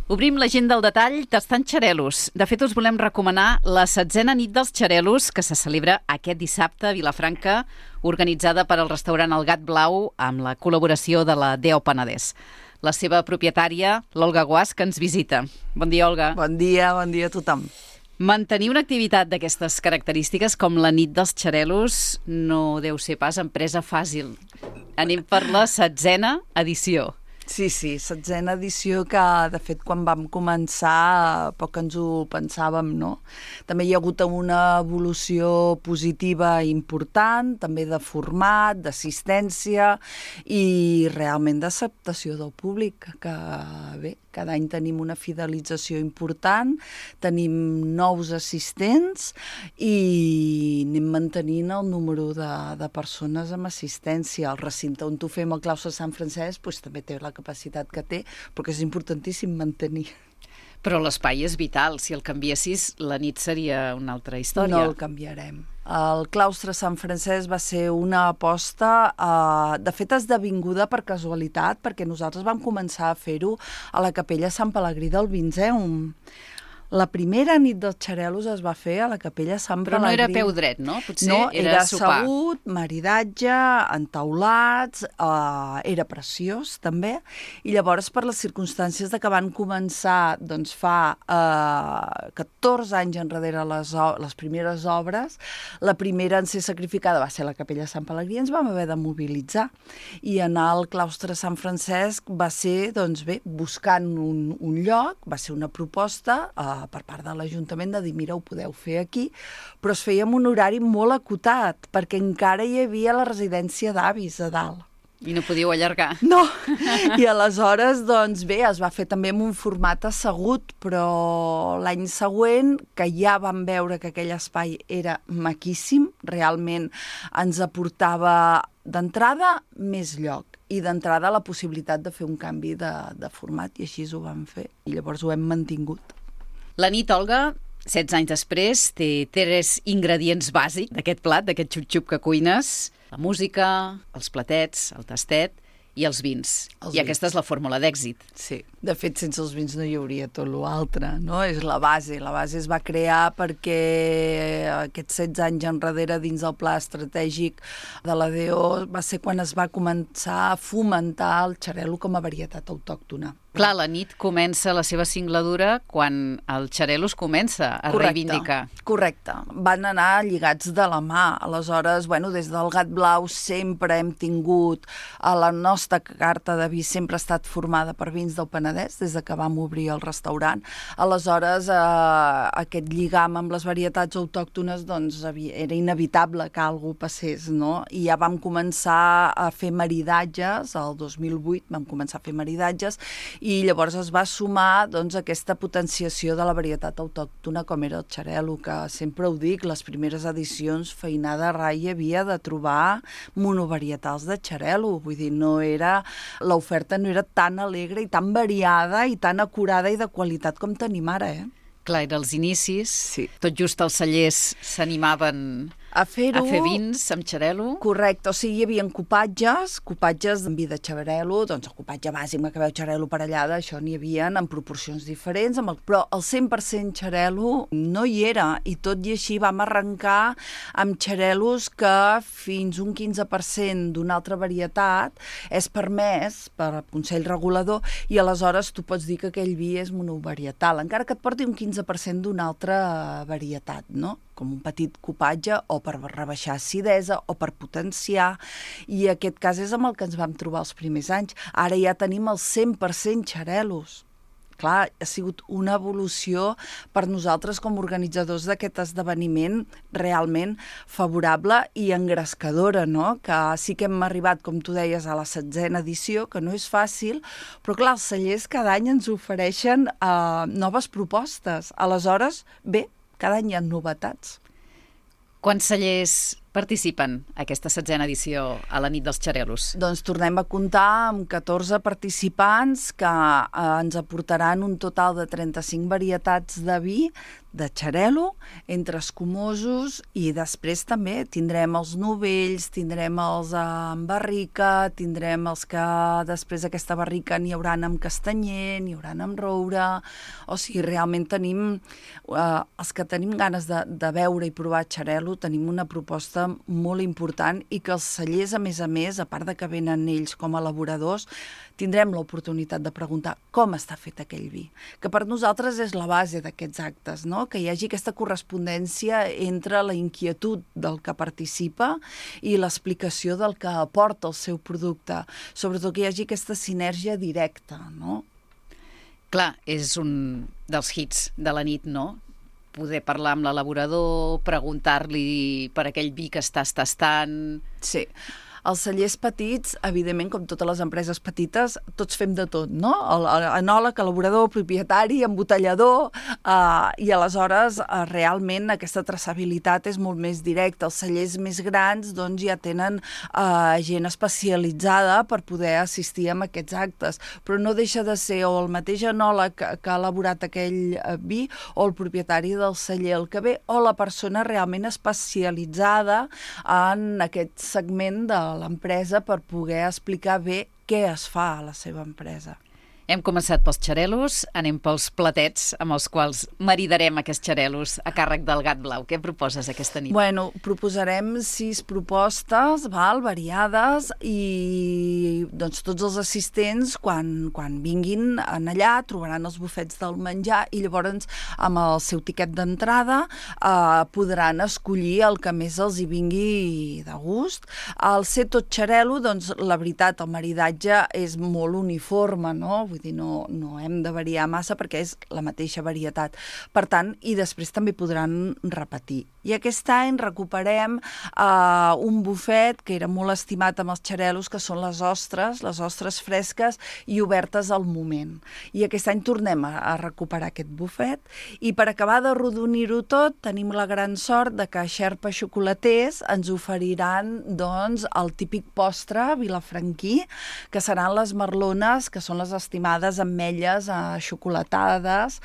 Obrim l'agenda al detall tastant xarelos. De fet, us volem recomanar la 16a nit dels xarelos que se celebra aquest dissabte a Vilafranca, organitzada per al restaurant El Gat Blau amb la col·laboració de la DEO Penedès. La seva propietària, l'Olga Guas, que ens visita. Bon dia, Olga. Bon dia a tothom. Mantenir una activitat d'aquestes característiques com la nit dels xarelos no deu ser pas empresa fàcil. Anem per la 16a edició. Sí, 16a edició que, de fet, quan vam començar, poc ens ho pensàvem, no? També hi ha hagut una evolució positiva important, també de format, d'assistència i realment d'acceptació del públic, que bé, cada any tenim una fidelització important, tenim nous assistents i anem mantenint el número de persones amb assistència. El recinte on ho fem, el claustre Sant Francesc, doncs, també té la capacitat que té, però que és importantíssim mantenir. Però l'espai és vital. Si el canviessis, la nit seria una altra història. No el canviarem. El claustre Sant Francesc va ser una aposta, de fet, esdevinguda per casualitat, perquè nosaltres vam començar a fer-ho a la capella Sant Pelegrí del Vinzeum. La primera nit dels xarelos es va fer a la capella Sant Pelegrí. Però no era peu dret, no? Potser no, era sopar. Assegut, maridatge, entaulats, era preciós també, i llavors per les circumstàncies de que van començar doncs, fa 14 anys enrere les primeres obres, la primera en ser sacrificada va ser la capella Sant Pelegrí, ens vam haver de mobilitzar, i anar al claustre Sant Francesc va ser, doncs bé, buscant un lloc, va ser una proposta per part de l'Ajuntament de dir, mira, ho podeu fer aquí, però es feia amb un horari molt acotat, perquè encara hi havia la residència d'avis a dalt. I no podíeu allargar. No, i aleshores, doncs bé, es va fer també amb un format assegut, però l'any següent, que ja vam veure que aquell espai era maquíssim, realment ens aportava d'entrada més lloc i d'entrada la possibilitat de fer un canvi de format, i així ho vam fer, i llavors ho hem mantingut. La nit, Olga, 16 anys després, té 3 ingredients bàsics d'aquest plat, d'aquest xup-xup que cuines: la música, els platets, el tastet i els vins. Aquesta és la fórmula d'èxit. Sí, de fet, sense els vins no hi hauria tot l'altre, no? És la base. La base es va crear perquè aquests 16 anys enrere dins del pla estratègic de la DEO va ser quan es va començar a fomentar el xarel·lo com a varietat autòctona. Clar, la nit comença la seva singladura quan el xarel·lo es comença a reivindicar. Correcte. Van anar lligats de la mà. Aleshores, bueno, des del Gat Blau sempre hem tingut la nostra carta de vi sempre ha estat formada per vins del Penedès, des de que vam obrir el restaurant. Aleshores, aquest lligam amb les varietats autòctones doncs, era inevitable que alguna cosa passés, no? I ja vam començar a fer maridatges, el 2008 vam començar a fer maridatges, i llavors es va sumar doncs, aquesta potenciació de la varietat autòctona com era el xarel·lo, que sempre ho dic, les primeres edicions feinada rai hi havia de trobar monovarietals de xarel·lo, vull dir, l'oferta no era tan alegre i tan variada i tan acurada i de qualitat com tenim ara, Clar, era els inicis, sí. Tot just els cellers s'animaven a fer vins amb xarel·lo. Correcte, o sigui, hi havia copatges amb vi de xarel·lo, doncs el copatge bàsic que veu xarel·lo parellada, això n'hi havia en proporcions diferents, però el 100% xarel·lo no hi era, i tot i així vam arrencar amb xarel·los que fins un 15% d'una altra varietat és permès per Consell Regulador, i aleshores tu pots dir que aquell vi és monovarietal, encara que et porti un 15% d'una altra varietat, no? Com un petit copatge, o per rebaixar acidesa, o per potenciar, i aquest cas és amb el que ens vam trobar els primers anys. Ara ja tenim els 100% xarel·los. Clar, ha sigut una evolució per nosaltres com a organitzadors d'aquest esdeveniment realment favorable i engrescadora, no? Que sí que hem arribat, com tu deies, a la 16a edició, que no és fàcil, però clar, els cellers cada any ens ofereixen noves propostes. Aleshores, bé, cada any hi ha novetats. Quants cellers participen a aquesta 16a edició a la nit dels xarel·los? Doncs tornem a comptar amb 14 participants que ens aportaran un total de 35 varietats de vi de xarel·lo, entre escumosos, i després també tindrem els novells, tindrem els amb barrica, tindrem els que després d'aquesta barrica n'hi hauran amb castanyer, n'hi hauran amb roure, o sigui, realment tenim, els que tenim ganes de veure i provar xarel·lo, tenim una proposta molt important i que els cellers, a més, a part de que venen ells com a elaboradors, tindrem l'oportunitat de preguntar com està fet aquell vi, que per nosaltres és la base d'aquests actes, no? Que hi hagi aquesta correspondència entre la inquietud del que participa i l'explicació del que aporta el seu producte, sobretot que hi hagi aquesta sinergia directa, no? Clar, és un dels hits de la nit, no? Poder parlar amb l'elaborador, preguntar-li per aquell vi que estàs tastant... Sí. Els cellers petits, evidentment, com totes les empreses petites, tots fem de tot, no? Enòleg, elaborador, propietari, embotellador, i aleshores realment aquesta traçabilitat és molt més directa. Els cellers més grans doncs, ja tenen gent especialitzada per poder assistir a aquests actes, però no deixa de ser o el mateix enòleg que ha elaborat aquell vi o el propietari del celler el que ve, o la persona realment especialitzada en aquest segment de l'empresa per poder explicar bé què es fa a la seva empresa. Hem començat pels xarel·los, anem pels platets amb els quals maridarem aquests xarel·los a càrrec del Gat Blau. Què proposes aquesta nit? Bueno, proposarem 6 propostes, variades, i doncs tots els assistents, quan vinguin allà, trobaran els bufets del menjar i llavors amb el seu tiquet d'entrada podran escollir el que més els hi vingui de gust. Al ser tot xarel·lo, doncs la veritat, el maridatge és molt uniforme, no? Vull dir, no hem de variar massa perquè és la mateixa varietat. Per tant, i després també podran repetir. I aquest any recuperem un bufet que era molt estimat amb els xarel·los, que són les ostres fresques i obertes al moment. I aquest any tornem a recuperar aquest bufet, i per acabar d'arrodonir-ho tot, tenim la gran sort de que Xerpa Xocolaters ens oferiran doncs, el típic postre vilafranquí, que seran les merlones, que són les estimades ametlles xocolatades,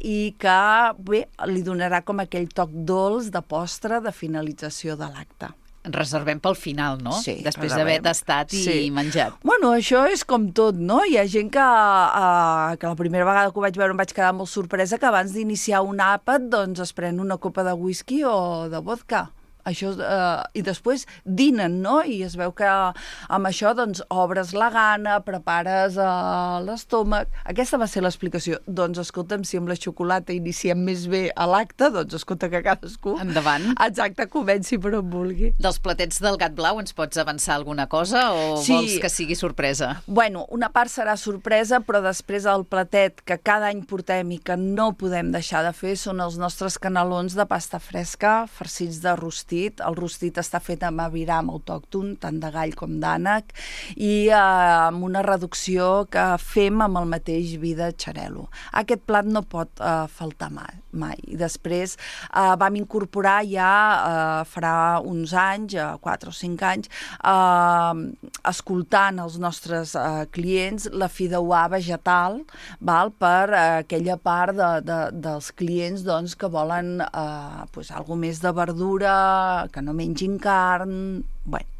i que bé, li donarà com aquell toc dolç de postre de finalització de l'acte. Reservem pel final, no? Sí, després d'haver tastat i menjat. Bueno, això és com tot, no? Hi ha gent que la primera vegada que ho vaig veure em vaig quedar molt sorpresa, que abans d'iniciar un àpat doncs es pren una copa de whisky o de vodka. Això, i després dinen, no? I es veu que amb això doncs, obres la gana, prepares l'estómac. Aquesta va ser l'explicació. Doncs escolta'm, si amb la xocolata iniciem més bé a l'acte, doncs escolta que cadascú... Endavant. Exacte, comenci per on vulgui. Dels platets del Gat Blau ens pots avançar alguna cosa o vols que sigui sorpresa? Bueno, una part serà sorpresa, però després el platet que cada any portem i que no podem deixar de fer són els nostres canelons de pasta fresca, farcits de rostit. El rostit està fet amb aviram autòcton, tant de gall com d'ànec, i amb una reducció que fem amb el mateix vi de xarel·lo. Aquest plat no pot faltar mai. I després vam incorporar ja, farà uns anys, 4 o 5 anys, escoltant els nostres clients, la fideuà vegetal, per aquella part dels clients doncs, que volen alguna més de verdura, que no mengin carn,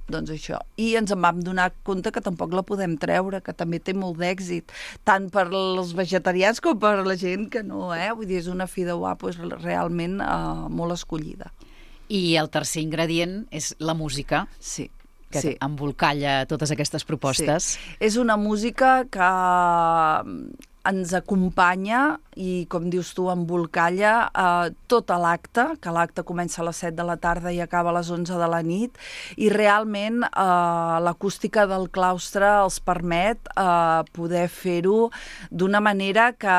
doncs això. I ens en vam donar compte que tampoc la podem treure, que també té molt d'èxit, tant per als vegetarians com per la gent que no, Vull dir, és una fideuà realment molt escollida. I el tercer ingredient és la música. Sí. Que embolcalla totes aquestes propostes. Sí. És una música que ens acompanya i, com dius tu, embolcalla tot l'acte, que l'acte comença a les 7 de la tarda i acaba a les 11 de la nit, i realment l'acústica del claustre els permet poder fer-ho d'una manera que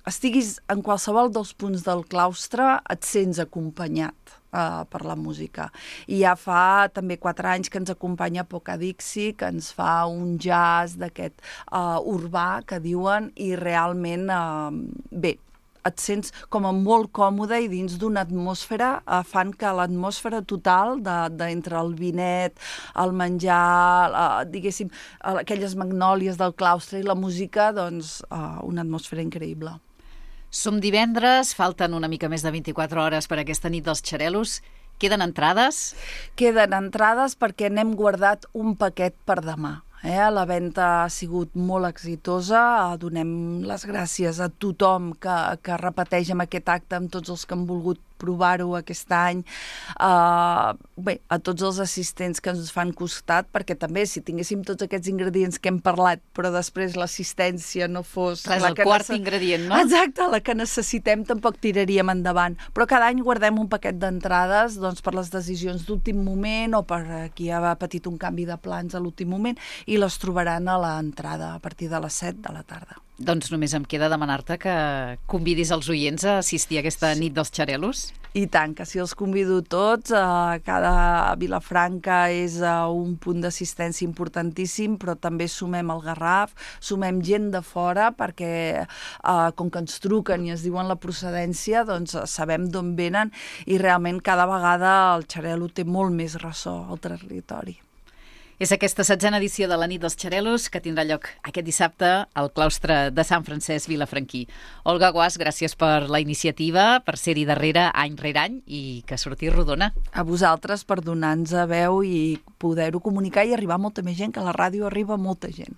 estiguis en qualsevol dels punts del claustre, et sents acompanyat per la música. I ja fa també 4 anys que ens acompanya Poca Dixie, que ens fa un jazz d'aquest urbà, que diuen, i realment, bé, et sents com a molt còmode i dins d'una atmosfera, fan que l'atmosfera total d'entre el vinet, el menjar, diguéssim, aquelles magnòlies del claustre i la música, doncs, una atmosfera increïble. Som divendres, falten una mica més de 24 hores per aquesta nit dels xarelos. Queden entrades? Queden entrades perquè n'hem guardat un paquet per demà. La venda ha sigut molt exitosa, donem les gràcies a tothom que repeteix amb aquest acte, amb tots els que han volgut provar-ho aquest any, a tots els assistents que ens fan costat, perquè també si tinguéssim tots aquests ingredients que hem parlat, però després l'assistència no fos... Clar, és el quart ingredient, no? Exacte, la que necessitem tampoc tiraríem endavant. Però cada any guardem un paquet d'entrades per les decisions d'últim moment o per qui ha patit un canvi de plans a l'últim moment i les trobaran a l'entrada a partir de les 7 de la tarda. Doncs només em queda demanar-te que convidis els oients a assistir a aquesta nit dels xarelos. I tant, que si els convido tots, cada Vilafranca és un punt d'assistència importantíssim, però també sumem el Garraf, sumem gent de fora, perquè com que ens truquen i ens diuen la procedència, doncs sabem d'on venen i realment cada vegada el xarelo té molt més ressò al territori. És aquesta 7a edició de la nit dels xarelos que tindrà lloc aquest dissabte al claustre de Sant Francesc Vilafranquí. Olga Guàs, gràcies per la iniciativa, per ser-hi darrere any rere any i que surti rodona. A vosaltres per donar-nos veu i poder-ho comunicar i arribar a molta més gent, que a la ràdio arriba molta gent.